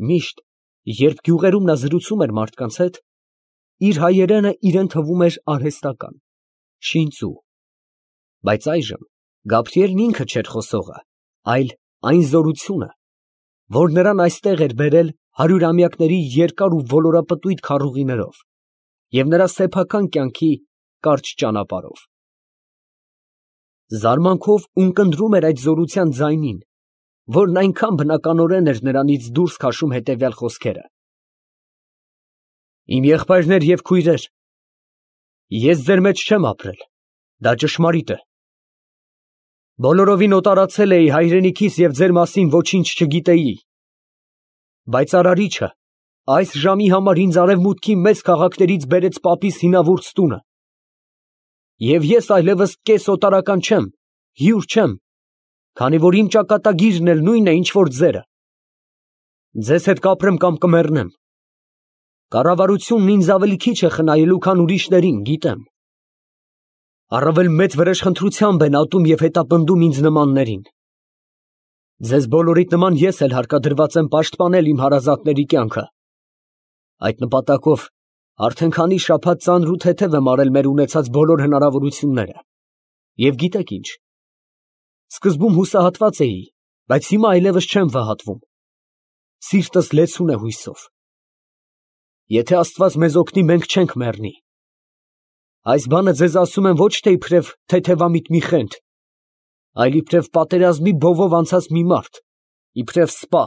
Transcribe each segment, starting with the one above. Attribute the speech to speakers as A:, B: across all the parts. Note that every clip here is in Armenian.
A: Միշտ, երբ գյուղերում նա զրուցում էր մարդկանց հետ, իր հայերենը իրան թվում էր արհեստական, շինծու, բայց այժմ Գաբրիելն ինքը չէր խոսողը, այլ այն զորությունը, որ նրան այստեղ էր բերել հարյուրամյակների երկար ու ոլորապտույտ քառուղիներով և նրա սեփական կյանքի կարճ ճանապարհով։ Զարմանքով ունկնդրում էր այդ զորության ձայնին, որն այնքան բնականորեն էր նրանից դուրս քաշում հետևյալ խոսքերը. «Իմ եղբայրներ և քույրեր, ես ձեր մեջ չեմ ապրել, դա ճշմարիտ է։ Բոլորովին օտարացել էի հայրենիքիս և ձեր մասին ոչինչ չգիտեի, բայց Արարիչը այս ժամի համար ինձ արևմուտքի մեծ քաղաքներից բերեց պապիս հինավուրց տունը, և ես այլևս կեսօտարական չեմ, հյուր չեմ, քանի որ իմ ճակատագիրն էլ նույնն է, ինչ որ ձերը։ Ձեզ հետ կապրեմ կամ կմեռնեմ։ Կառավարությունն ինձ ավելի քիչ է խնայելու, քան ուրիշներին, գիտեմ։ Առավել մեծ վրեժխնդրությամբ են ատում և հետապնդում ինձ նմաններին։ Ձեզ բոլորիդ նման ես էլ հարկադրված եմ պաշտպանել իմ հարազատների կյանքը։ Այդ նպատակով արդեն քանի շաբաթ ծանր ու թեթև եմ արել մեր ունեցած բոլոր հնարավորությունները։ Եվ գիտեք ինչ, սկզբում հուսահատված էի, բայց հիմա այլևս չեմ վհատվում։ Սիրտս լեցուն է հույսով։ Եթե Աստված մեզ օգնի, մենք չենք մեռնի։ Այս բանը ձեզ ասում եմ ոչ թե իբրև թեթևամիտ մի խենթ, այլ իբրև պատերազմի բովով անցած մի մարդ, իբրև սպա։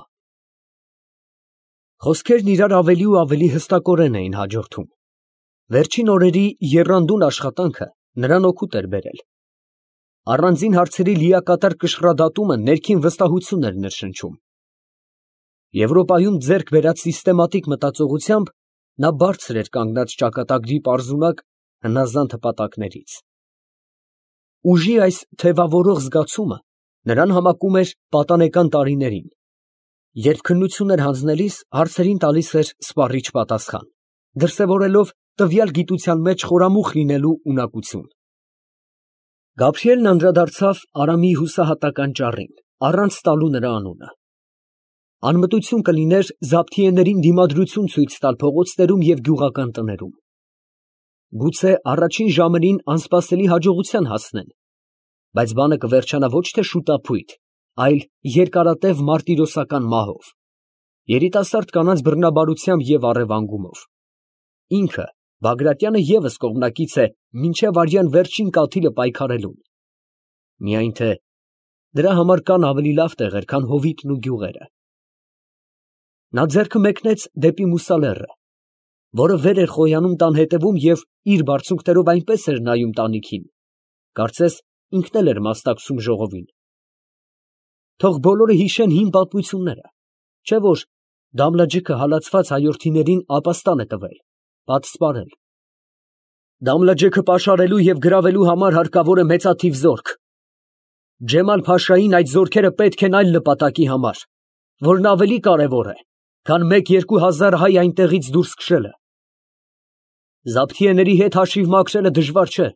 A: Խոսքերն իրար ավելի ու ավելի հստակորեն էին հաջորդում։ Վերջին օրերի եռանդուն աշխատանքը նրան օգուտ էր բերել։ Առանձին հարցերի լիակատար կշռադատումը ներքին վստահություն էր ներշնչում։ Եվրոպայում ձեռք բերած սիստեմատիկ մտածողությամբ նա բարձր էր կանգնած ճակատագրի պարզունակ հնազանդ հպատակներից։ Ուժի այս թևավորող զգացումը նրան համակում էր պատանեկան տարիներին, երբ քննություն էր հանձնելիս հարցերին տալիս էր սպառիչ պատասխան, դրսևորելով տվյալ գիտության մեջ խորամուխ լինելու ունակություն։ Գաբրիելն անդրադարձավ Արամի հուսահատական ճառին, առանց տալու նրա անունը։ Անմտություն կլիներ զաբթիեներին դիմադրություն ցույց տալ փողոցներում և գյուղական տներում։ Գուցե առաջին ժամերին անսպասելի հաջողության հասնեն, բայց բանը կվերջանա ոչ թե շուտափույթ, այլ երկարատև մարտիրոսական մահով, երիտասարդ կանանց բռնաբարությամբ և առևանգումով։ Ինքը, Բագրատյանը, ևս կողմնակից է մինչև արյան վերջին կաթիլը պայքարելուն։ Միայն թե դրա համար կան ավելի լավ տեղեր, քան Հովիտն ու գյուղերը։ Նա ձեռքը մեկնեց դեպի Մուսալեռը, որը վեր էր խոյանում տան հետևում և իր բարձունքներով այնպես էր նայում տանիքին, կարծես ինքն էլ էր մասնակցում ժողովին։ Թող բոլորը հիշեն հին պատմությունները, չէ՞ որ Դամլաջիկը հալածված հայորդիներին ապաստան է տվել, պատսպարել։ Դամլաջեքը պաշարելու և գրավելու համար հարկավոր է մեծաթիվ զորք։ Ջեմալ֊փաշային այդ զորքերը պետք են այլ նպատակի համար, որն ավելի կարևոր է, քան 1-2 հազար հայ այնտեղից դուրս քշելը։ Զաբթիեների հետ հաշիվ մաքրելը դժվար չէ։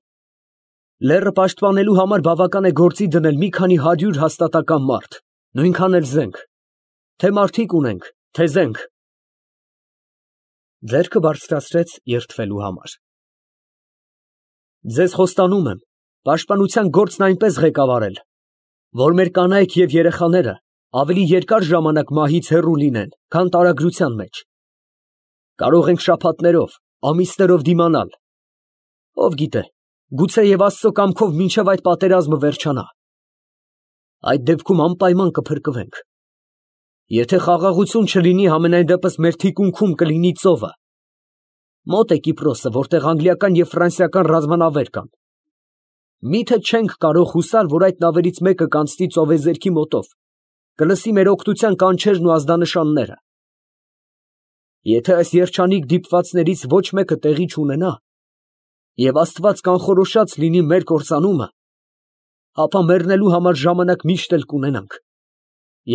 A: Լեռը պաշտպանելու համար բավական է գործի դնել մի քանի 100 հաստատակամ մարդ, նույնքան էլ զենք, թե մարդիկ ունենք, թե զենք։ Ձեռքը բարձրացրեց երդվելու համար։ Ձեզ խոստանում եմ պաշտպանության գործն այնպես ղեկավարել, որ մեր կանայք և երեխաները ավելի երկար ժամանակ մահից հեռու լինեն, քան տարագրության մեջ։ Կարող ենք շաբաթներով, ամիսներով դիմանալ։ Ով գիտե, գուցե և Աստծո կամքով մինչև այդ պատերազմը վերջանա։ Այդ դեպքում անպայման կփրկվենք։ Եթե խաղաղություն չլինի, համենայն դեպս մեր թիկունքում կլինի ծովը։ Մոտ է Կիպրոսը, որտեղ անգլիական և ֆրանսիական ռազմանավեր կան։ Միթե չենք կարող հուսալ, որ այդ նավերից մեկը կանցնի ծովեզերքի մոտով, կլսի մեր օգնության կանչերն ու ազդանշանները։ Եթե այս երջանիկ դիպվածներից ոչ մեկը տեղի չունենա, և Աստված կանխորոշած լինի մեր կործանումը, ապա մեռնելու համար ժամանակ միշտ էլ կունենանք,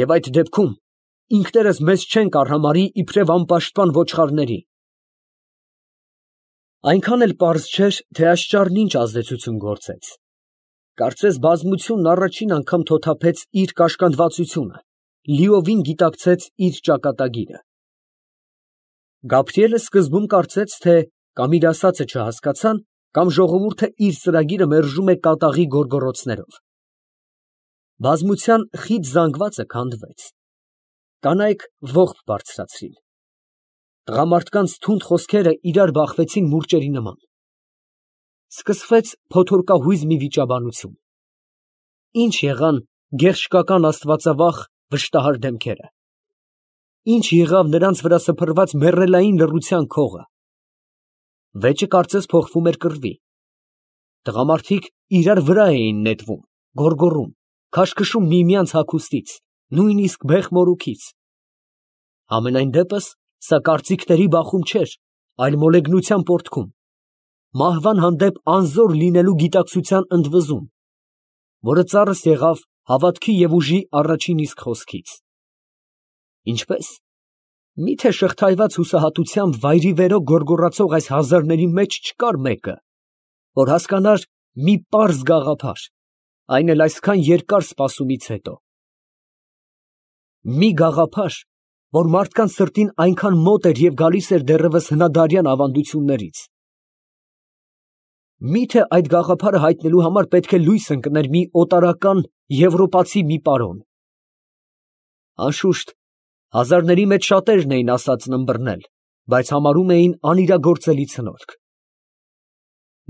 A: և այդ դեպքում ինքներս մեզ չենք արհամարհի իբրև անպաշտպան ոչխարների։ Այնքան էլ պարզ չէր, թե այս ճառն ինչ ազդեցություն գործեց։ Կարծես բազմությունն առաջին անգամ թոթափեց իր կաշկանդվածությունը, լիովին գիտակցեց իր ճակատագիրը։ Գաբրիելը սկզբում կարծեց, թե կամ իր ասածը չհասկացան, կամ ժողովուրդը իր ծրագիրը մերժում է կատաղի գոռգոռոցներով։ Բազմության խիտ զանգվածը քանդվեց։ Կանայք ողբ բարձրացրին։ Տղամարդկանց թունդ խոսքերը իրար բախվեցին մուրճերի նման։ Սկսվեց փոթորկահույզ մի վիճաբանություն։ Ինչ եղան գեղշկական աստվածավախ վշտահար դեմքերը։ Ինչ եղավ նրանց վրա սփռված մեռելային լռության քողը։ Վեճը կարծես փոխվում էր կռվի։ Տղամարդիկ իրար վրա էին նետվում, գոռգոռում, քաշքշում միմյանց հագուստից, նույնիսկ բեղ մորուքից։ Համենայն դեպս, սա կարծիքների բախում չէր, այլ մոլեգնության պոռթկում, մահվան հանդեպ անզոր լինելու գիտակցության ընդվզում, որը ծառս եղավ հավատքի և ուժի առաջին իսկ խոսքից։ Ինչպես, միթե շղթայված հուսահատությամբ վայրիվերո գոռգոռացող այս հազարների մեջ չկար մեկը, որ հասկանար մի պարզ գաղափար, այն էլ այսքան երկար սպասումից հետո։ Մի գաղափար, որ մարդկանց սրտին այնքան մոտ էր և գալիս էր դեռևս հնադարյան ավանդություններից։ Միթե այդ գաղափարը հայտնելու համար պետք է լույս ընկներ մի օտարական եվրոպացի մի պարոն։ Անշուշտ, հազարների մեջ շատերն էին ասածն ըմբռնել, բայց համարում էին անիրագործելի ցնորք։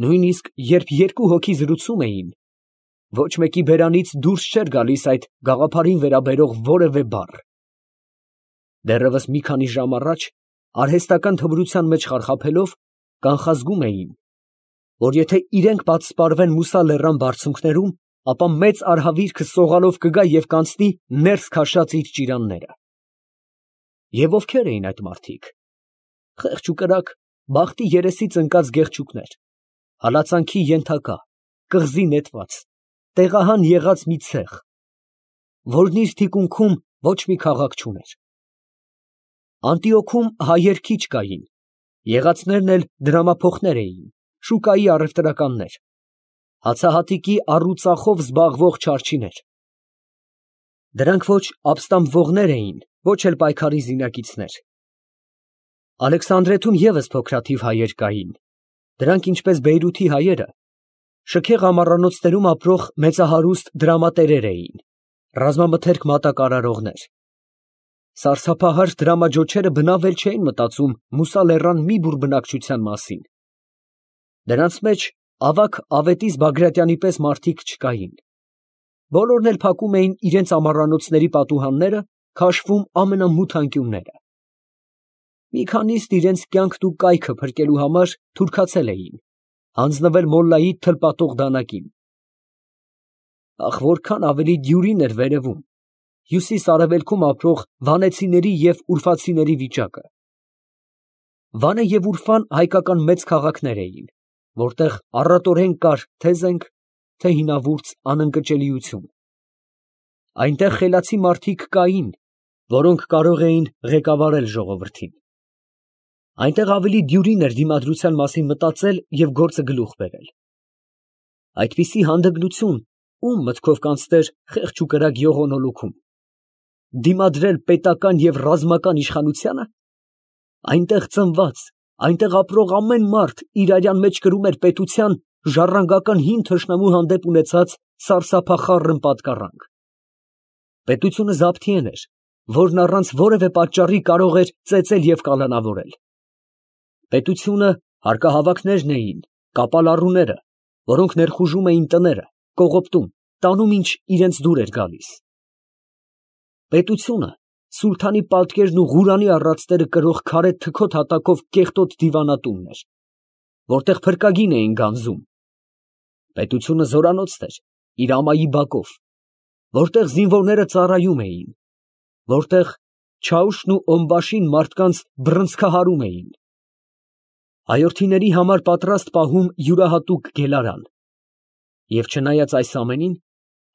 A: Նույնիսկ երբ երկու հոգի զրուցում էին, ոչ մեկի բերանից դուրս չէր գալիս այդ գաղափարին վերաբերող որևէ բառ։ Դեռևս մի քանի ժամ առաջ, արհեստական թմրության մեջ խարխափելով, կանխազգում էին, որ եթե իրենք պատսպարվեն Մուսա լեռան բարձունքներում, ապա մեծ արհավիրքը սողալով կգա և կանցնի ներս քաշած իր ճիրանները։ Եվ ովքեր էին այդ մարդիկ։ Խեղճ ու կրակ, բախտի երեսից ընկած գեղչուկներ, հալածանքի ենթակա, կղզի նետված, տեղահան եղած մի ցեղ, որն իր թիկունքում ոչ մի քաղաք չուներ։ Անտիոքում հայեր քիչ կային, եղածներն էլ դրամափոխներ էին, շուկայի առևտրականներ, հացահատիկի առուծախով զբաղվող չարչիներ։ Դրանք ոչ ապստամբվողներ էին, ոչ էլ պայքարի զինակիցներ։ Ալեքսանդրեթում ևս փոքրաթիվ հայեր կային, դրանք ինչպես Բեյրութի հայերը, շքեղ ամառանոցներում ապրող մեծահարուստ դրամատերեր էին, ռազմամթերք մատակարարողներ։ Սարսափահար դրամաջոչերը բնավ էլ չէին մտածում Մուսա լեռան մի բուռ բնակչության մասին։ Դրանց մեջ ավագ Ավետիս Բագրատյանի պես մարդիկ չկային։ Բոլորն էլ փակում էին իրենց ամառանոցների պատուհանները, քաշվում ամենամութ անկյունները։ Մի քանիստ իրենց կյանքն ու կայքը փրկելու համար թուրքացել էին, հանձնվել մոլլայի թլպատող դանակին։ Ախ, որքան ավելի դյուրին էր վերևում, հյուսիս֊արևելքում ապրող վանեցիների և ուրֆացիների վիճակը։ Վանը և Ուրֆան հայկական մեծ քաղաքներ էին, որտեղ առատորեն կար թե զենք, թե հինավուրց անընկճելիություն։ Այնտեղ խելացի մարդիկ կային, որոնք կարող էին ղեկավարել ժողովրդին։ Այնտեղ ավելի դյուրին էր դիմադրության մասին մտածել և գործը գլուխ բերել։ Այդպիսի հանդգնություն ում մտքով կանցներ խեղճ ու կրակ յողոնոլուքում։ Դիմադրել պետական և ռազմական իշխանությանը։ Այնտեղ ծնված, այնտեղ ապրող ամեն մարդ իր արյան մեջ կրում էր պետության ժառանգական հին թշնամու հանդեպ ունեցած սարսափախառն պատկառանք։ Պետությունը Զաբթիեն էր, որն առանց որևէ պատճառի կարող էր ծեծել և կալանավորել։ Պետությունը հարկահավաքներն էին, կապալառուները, որոնք ներխուժում էին տները, կողոպտում, տանում ինչ իրենց դուր էր գալիս։ Պետությունը սուլթանի պատկերն ու Ղուրանի առածները կրող քարե թքոտ հատակով կեղտոտ դիվանատունն էր, որտեղ փրկագին էին գանձում։ Պետությունը զորանոցն էր իր ամայի բակով, որտեղ զինվորները ծառայում էին, որտեղ Չաուշն ու Օմբաշին մարդկանց բռնցքահարում էին։ Հայորդիների համար պատրաստ պահում յուրահատուկ գելարան։ Եվ չնայած այս ամենին,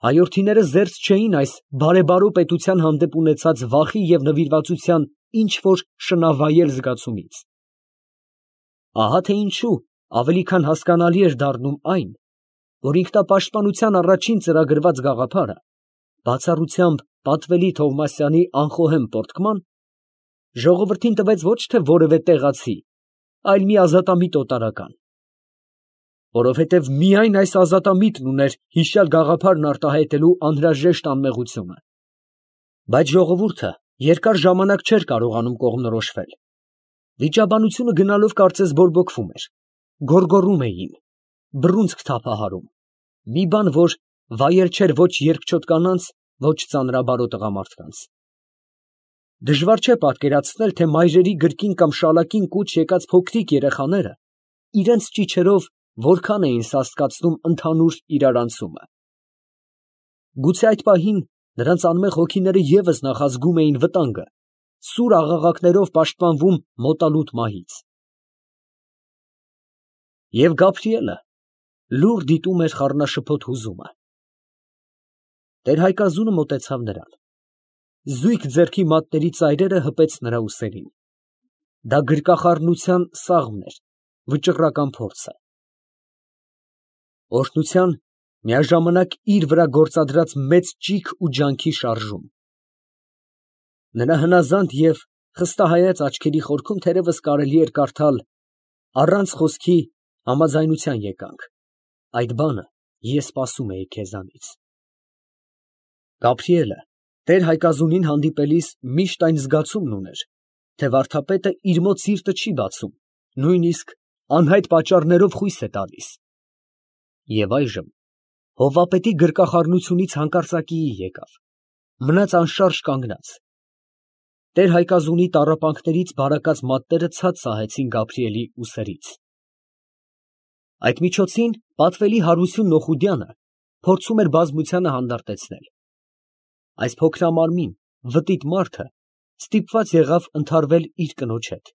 A: հայորդիները զերծ չէին այս բարեբարո պետության հանդեպ ունեցած վախի և նվիրվածության ինչ֊որ շնավայել զգացումից։ Ահա թե ինչու ավելի քան հասկանալի էր դառնում այն, որ ինքնապաշտպանության առաջին ծրագրված գաղափարը, բացառությամբ պատվելի Թովմասյանի անխոհեմ պոռթկման, Ժողովրդին տվեց ոչ թե որևէ տեղացի, այլ մի ազատամիտ օտարական, որովհետև միայն այս ազատամիտն ուներ հիշյալ գաղափարն արտահայտելու անհրաժեշտ անմեղությունը։ Բայց ժողովուրդը երկար ժամանակ չէր կարողանում կողմնորոշվել. վիճաբանությունը գնալով կարծես բորբոքվում էր, գոռգոռում էին, բռունցք թափահարում, մի բան, որ վայել չէր ոչ երկչոտ կանանց, ոչ ծանրաբարո տղամարդկանց։ Դժվար չէ պատկերացնել, թե մայրերի գրկին կամ շալակին կուչ եկած փոքրիկ երեխաները իրենց ճիչերով որքան էին սաստկացնում ընդհանուր իրարանցումը։ Գուցե այդ պահին նրանց անմեղ հոգիները ևս նախազգում էին վտանգը, սուր աղաղակներով պաշտպանվում մոտալուտ մահից։ Եվ Գաբրիելը լուռ դիտում էր խառնաշփոթ հուզումը։ Տեր Հայկազունը մոտեցավ նրան։ Զույգ ձեռքի մատների ծայրերը հպեց նրա ուսերին։ Դա գրկախառնության սաղմն էր, վճռական փորձը։ Օրհնության, միաժամանակ իր վրա գործադրած մեծ ճիգ ու ջանքի շարժում։ Նրա հնազանդ և խստահայաց աչքերի խորքում թերևս կարելի էր կարդալ առանց խոսքի համաձայնության եկանք, այդ բանը ես սպասում էի քեզանից։ Գաբրիելը Տեր Հայկազունին հանդիպելիս միշտ այն զգացումն ուներ, թե վարդապետը իր մոտ սիրտը չի բացում, նույնիսկ անհայտ պատճառներով խույս է տալիս։ Եվ այժմ հովվապետի գրկախառնությունից հանկարծակիի եկավ, մնաց անշարժ կանգնած։ Տեր Հայկազունի տառապանքներից բարակած մատները ցած սահեցին Գաբրիելի ուսերից։ Այդ միջոցին պատվելի Հարություն Նոխուդյանը փորձում էր բազմությանը հանդարտեցնել։ Այս փոքրամարմին, վտիտ մարդը ստիպված եղավ ընդհարվել իր կնոջ հետ,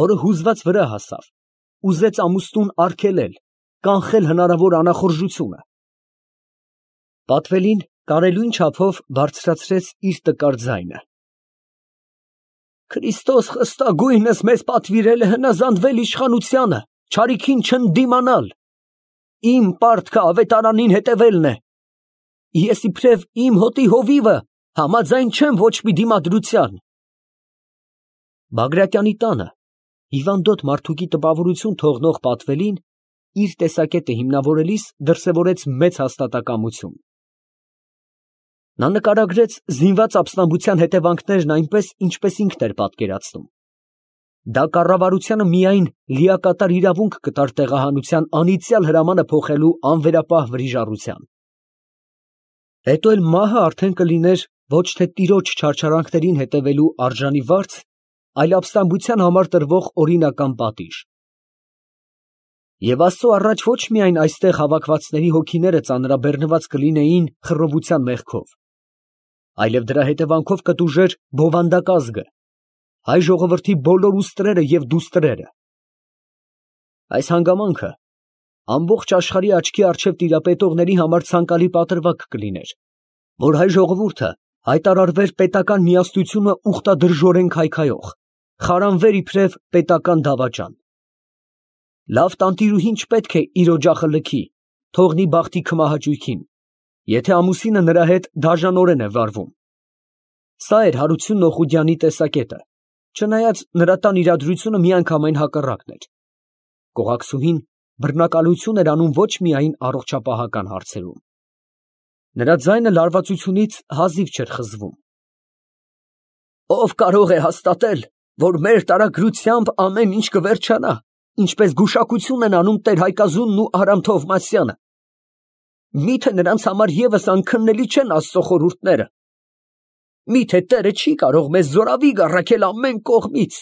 A: որը հուզված վրա հասավ, ուզեց ամուսնուն արգելել, կանխել հնարավոր անախորժությունը։ Պատվելին կարելույն չափով բարձրացրեց իր տկար ձայնը։ Քրիստոս խստագույնս մեզ պատվիրել է հնազանդվել իշխանությանը, չարիքին չընդդիմանալ։ Իմ պարտքը ավետարանին հետևելն է։ Ես իբրև իմ հոտի հովիվը համաձայն չեմ ոչ մի դիմադրության։ Բագրատյանի տանը հիվանդոտ մարդուկի տպավորություն թողնող պատվելին իր տեսակետը հիմնավորելիս դրսևորեց մեծ հաստատակամություն։ Նա նկարագրեց զինված ապստամբության հետևանքներն այնպես, ինչպես ինքն էր պատկերացնում։ Դա կառավարությանը միայն լիակատար իրավունք կտար տեղահանության անիծյալ հրամանը փոխելու անվերապահ վրիժառության։ Հետո էլ մահը արդեն կլիներ ոչ թե տիրոջ չարչարանքներին հետևելու արժանի վարձ, այլ ապստամբության համար տրվող օրինական պատիժ։ Եվ Աստծո առաջ ոչ միայն այստեղ հավաքվածների հոգիները ծանրաբեռնված կլինեին խռովության մեղքով, այլև դրա հետևանքով կտուժեր բովանդակազգը, հայ ժողովրդի բոլոր ուստրերը և դուստրերը։ Այս հանգամանքը ամբողջ աշխարհի աչքի առջև տիրապետողների համար ցանկալի պատրվակ կլիներ, որ հայ ժողովուրդը հայտարարվեր պետական միասնությունը ուխտադրժորեն քայքայող, խարանվեր իբրև պետական դավաճան։ Լավ տանտիրուհին չպետք է իր օջախը լքի, թողնի բախտի քմահաճույքին, եթե ամուսինը նրա հետ դաժանորեն է վարվում։ Սա էր Հարություն Նոխուդյանի տեսակետը, չնայած նրա տան իրադրությունը միանգամայն հակառակն էր։ Կողակցուհին բռնակալություն էր անում ոչ միայն առողջապահական հարցերում։ Նրա ձայնը լարվածությունից հազիվ չէր խզվում։ Ով կարող է հաստատել, որ մեր տարագրությամբ ամեն ինչ կվերջանա, ինչպես գուշակություն են անում Տեր Հայկազունն ու Արամ Թովմասյանը։ Միթե նրանց համար ևս անքննելի չեն Աստծո խորհուրդները։ Միթե Տերը չի կարող մեզ զորավիգ առաքել ամեն կողմից։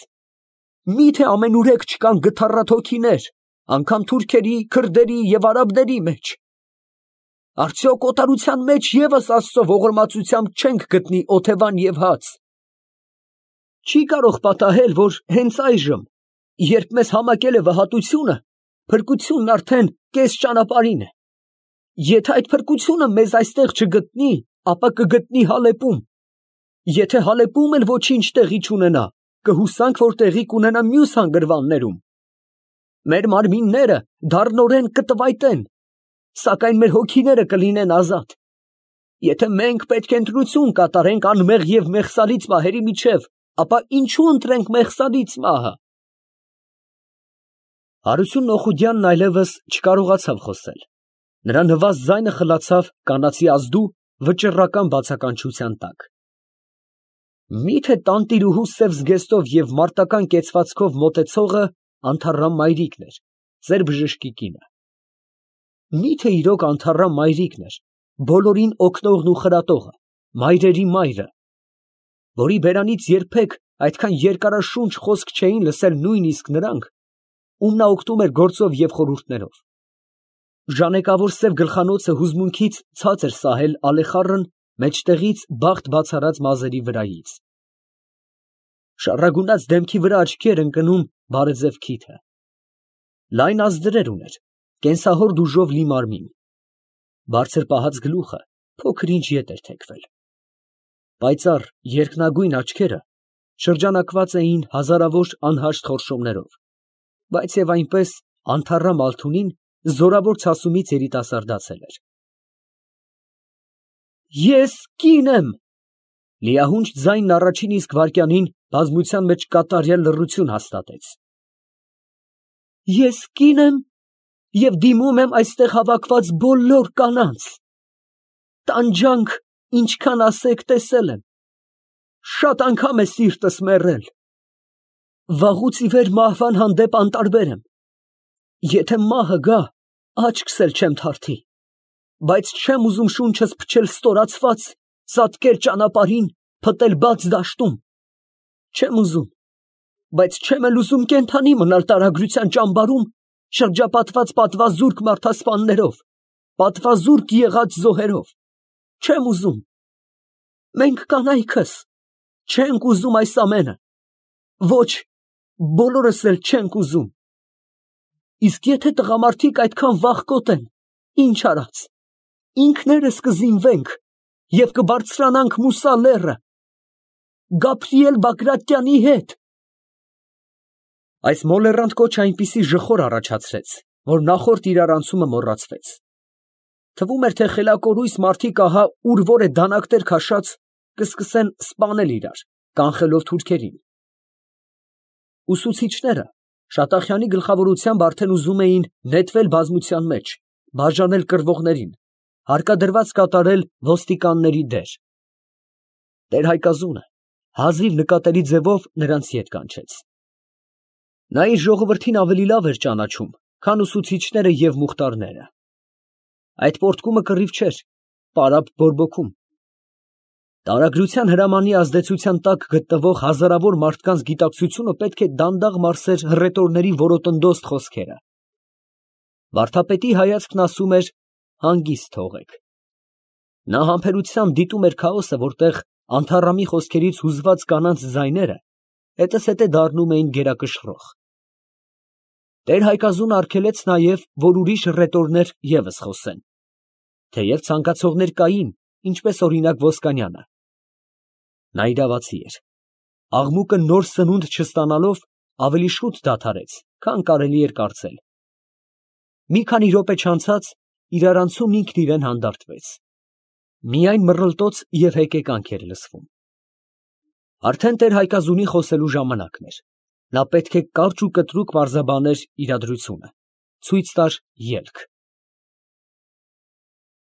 A: Միթե ամենուրեք չկան գթառատ հոգիներ, անգամ թուրքերի, քրդերի և արաբների մեջ։ Արդյոք օտարության մեջ ևս Աստծո ողորմածությամբ չենք գտնի օթևան և հաց։ Չի կարող պատահել, որ հենց այժմ, երբ մեզ համակել է վհատությունը, փրկությունն արդեն կես ճանապարհին է։ Եթե այդ փրկությունը մեզ այստեղ չգտնի, ապա կգտնի Հալեպում։ Եթե Հալեպում էլ ոչինչ տեղի չունենա, կհուսանք, որ տեղի կունենա մյուս հանգրվաններում։ Մեր մարմինները դառնորեն կտվայտեն, սակայն մեր հոգիները կլինեն ազատ։ Եթե մենք պետք է ընտրություն կատարենք անմեղ և մեղսալից մահերի միջև, ապա ինչու ընտրենք Մեղսալից մահը։ Հարություն Օխուդյանն այլևս չկարողացավ խոսել. նրա նվազ ձայնը խլացավ կանացի ազդու վճռական բացականչության տակ։ Միթե տանտիրուհու սև զգեստով և մարտական կեցվածքով մոտեցողը Անթառամ մայրիկն էր, ձեր բժշկի կինը։ Միթե իրոք Անթառամ մայրիկն էր, բոլորին օգնողն ու խրատողը, մայրերի մայրը, որի բերանից երբեք այդքան երկարաշունչ խոսք չէին լսել նույնիսկ նրանք, ում նա օգնում էր գործով և խորհուրդներով։ Ժանեկավոր սև գլխանոցը հուզմունքից ցած էր սահել ալեխառն մեջտեղից բախտ բացառած մազերի վրայից։ Շառագունած դեմքի վրա աչքի էր ընկնում բարեձև քիթը։ Լայն ազդրեր ուներ, կենսահոր դուժով լի մարմին։ Բարձր պահած գլուխը փոքր ինչ ետ էր թեքվել։ Պայծառ երկնագույն աչքերը շրջանակված էին հազարավոր անհաշտ խորշումներով, բայց և այնպես Անթառամ Ալթունին զորավոր ցասումից երիտասարդացել էր։ Ես կին եմ, լիահունչ ձայնն առաջին իսկ վայրկյանին բազմության մեջ կատարյալ լռություն հաստատեց։ Ես կին եմ և դիմում եմ այստեղ հավաքված բոլոր կանանց։ Տանջանք ինչքան ասեք տեսել եմ, շատ անգամ է սիրտս մեռել։ Վաղուց ի վեր մահվան հանդեպ անտարբեր եմ։ Եթե մահը գա, աչքս էլ չեմ թարթի, բայց չեմ ուզում շունչս փչել ստորացված, ծածկել ճանապարհին, փտել բաց դաշտում։ Չեմ ուզում, բայց չեմ էլ ուզում կենդանի մնալ տարագրության ճամբարում, շրջապատված պատվազուրկ մարդասպաններով, պատվազուրկ եղած զոհերով։ Չեմ ուզում։ Մենք կանայքս չենք ուզում այս ամենը։ Ոչ, բոլորս էլ չենք ուզում։ Իսկ եթե տղամարդիկ այդքան վախկոտ են, ինչ արած, ինքներս կզինվենք և կբարձրանանք Մուսա լեռը, Գաբրիել Բագրատյանի հետ։ Այս մոլեռանդ կոչը այնպիսի ժխոր առաջացրեց, որ նախորդ իրարանցումը մոռացվեց։ Թվում էր, թե խելակորույս մարդիկ ահա ուր որ է դանակներ քաշած, կսկսեն սպանել իրար, կանխելով թուրքերին։ Ուսուցիչները Շատախյանի գլխավորությամբ արդեն ուզում էին նետվել բազմության մեջ, բաժանել կռվողներին, հարկադրված կատարել ոստիկանների դեր։ Տեր Հայկազունը հազիվ նկատելի ձևով նրանց ետ կանչեց։ Նա իր ժողովրդին ավելի լավ էր ճանաչում, քան ուսուցիչները և մուխտարները։ Այդ պոռթկումը կռիվ չէր, պարապ բորբոքում։ Տարագրության հրամանի ազդեցության տակ գտնվող հազարավոր մարդկանց գիտակցությունը պետք է դանդաղ մարսեր հռետորների որոտնդոստ խոսքերը։ Վարդապետի հայացքն ասում էր. հանգիստ թողեք։ Նա համբերությամբ դիտում էր քաոսը, որտեղ Անթառամի խոսքերից հուզված կանանց ձայները հետզհետե դառնում էին գերակշռող։ Տեր Հայկազունը արգելեց նաև, որ ուրիշ հռետորներ ևս խոսեն, թեև ցանկացողներ կային, ինչպես օրինակ Ոսկանյանը։ Նա իրավացի էր։ Աղմուկը նոր սնունդ չստանալով ավելի շուտ դադարեց, քան կարելի էր կարծել։ Մի քանի րոպե չանցած իրարանցումն ինքն իրան հանդարտվեց։ Միայն մռլտոց և հեկեկանք էր լսվում։ Արդեն Տեր Հայկազունի խոսելու ժամանակն էր։ Նա պետք է կարճ ու կտրուկ պարզաբաներ իրադրությունը, ցույց տար ելք։